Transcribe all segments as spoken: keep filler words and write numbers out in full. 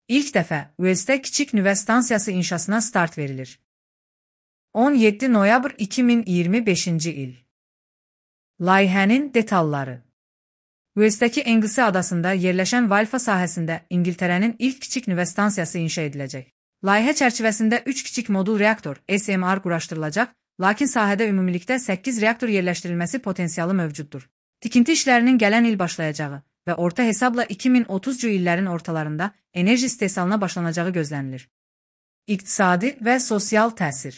İlk dəfə Uelsdə kiçik nüvə stansiyası inşasına start verilir. on yeddi noyabr iki min iyirmi beşinci il. Layihənin detalları. Uelsdəki Anglesey adasında yerləşən Valfa sahəsində İngiltərənin ilk kiçik nüvə stansiyası inşa ediləcək. Layihə çərçivəsində üç kiçik modul reaktor S M R quraşdırılacaq, lakin sahədə ümumilikdə səkkiz reaktor yerləşdirilməsi potensialı mövcuddur. Tikinti işlərinin gələn il başlayacağı və orta hesabla iki min otuzcu illərin ortalarında enerji istehsalına başlanacağı gözlənilir. İqtisadi və sosial təsir.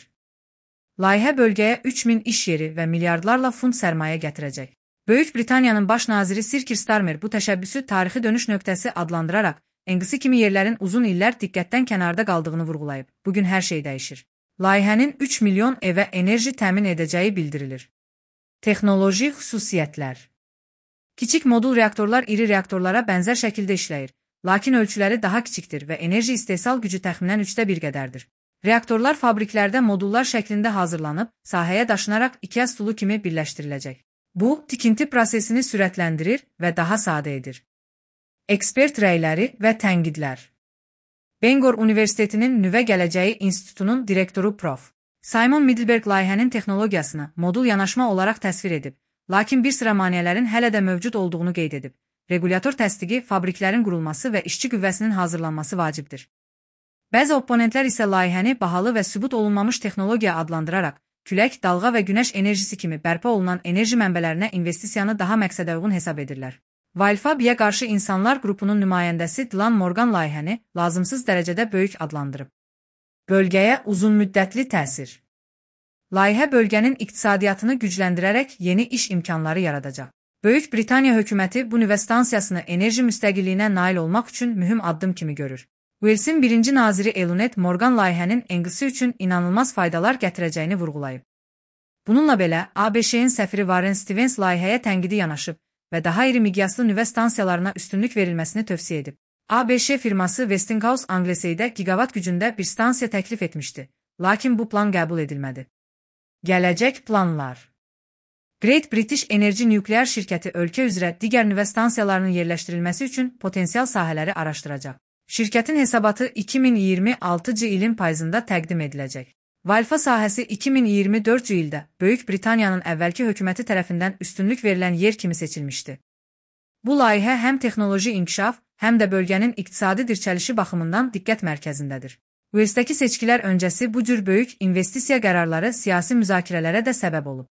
Layihə bölgəyə üç min iş yeri və milyardlarla funt sərmayə gətirəcək. Böyük Britaniyanın baş naziri Sir Keir Starmer bu təşəbbüsü tarixi dönüş nöqtəsi adlandıraraq, Anglesey kimi yerlərin uzun illər diqqətdən kənarda qaldığını vurğulayıb. Bugün hər şey dəyişir. Layihənin üç milyon evə enerji təmin edəcəyi bildirilir. Texnoloji xüsusiyyətlər. Kiçik modul reaktorlar iri reaktorlara bənzər şəkildə işləyir, lakin ölçüləri daha kiçikdir və enerji istehsal gücü təxminən üçdə bir qədərdir. Reaktorlar fabriklərdə modullar şəklində hazırlanıb, sahəyə daşınaraq IKEA stulu kimi birləşdiriləcək. Bu, tikinti prosesini sürətləndirir və daha sadə edir. Ekspert rəyləri və tənqidlər. Bangor Universitetinin Nüvə Gələcəyi İnstitutunun direktoru prof. Simon Middleberg layihənin texnologiyasını modul yanaşma olaraq təsvir edib, lakin bir sıra maneələrin hələ də mövcud olduğunu qeyd edib. Regulyator təsdiqi, fabriklərin qurulması və işçi qüvvəsinin hazırlanması vacibdir. Bəzi opponentlər isə layihəni bahalı və sübut olunmamış texnologiya adlandıraraq, külək, dalğa və günəş enerjisi kimi bərpa olunan enerji mənbələrinə investisiyanı daha məqsədəuyğun hesab edirlər. Valfabiyə qarşı insanlar qrupunun nümayəndəsi Dylan Morgan layihəni lazımsız dərəcədə böyük adlandırıb. Bölgəyə uzunmüddətli təsir. Layihə bölgənin iqtisadiyyatını gücləndirərək yeni iş imkanları yaradacaq. Böyük Britaniya hökuməti bu nüvə stansiyasını enerji müstəqilliyinə nail olmaq üçün mühüm addım kimi görür. Uels'in birinci naziri Elunet Morgan layihənin Anglesey üçün inanılmaz faydalar gətirəcəyini vurğulayıb. Bununla belə, A B Ş-in səfiri Warren Stevens layihəyə tənqidi yanaşıb və daha iri miqyaslı nüvə stansiyalarına üstünlük verilməsini tövsiyə edib. A B Ş firması Westinghouse Angleseydə gigavat gücündə bir stansiya təklif etmişdi, lakin bu plan qəbul edilmədi. Gələcək planlar. Great British Energy nükleer şirkəti ölkə üzrə digər nüvə stansiyalarının yerləşdirilməsi üçün potensial sahələri araşdıracaq. Şirkətin hesabatı iki min iyirmi altıncı ilin payızında təqdim ediləcək. Valfa sahəsi iki min iyirmi dördüncü ildə Böyük Britaniyanın əvvəlki hökuməti tərəfindən üstünlük verilən yer kimi seçilmişdi. Bu layihə həm texnoloji inkişaf, həm də bölgənin iqtisadi dirçəlişi baxımından diqqət mərkəzindədir. Uelsdəki seçkilər öncəsi bu cür böyük investisiya qərarları siyasi müzakirələrə də səbəb olub.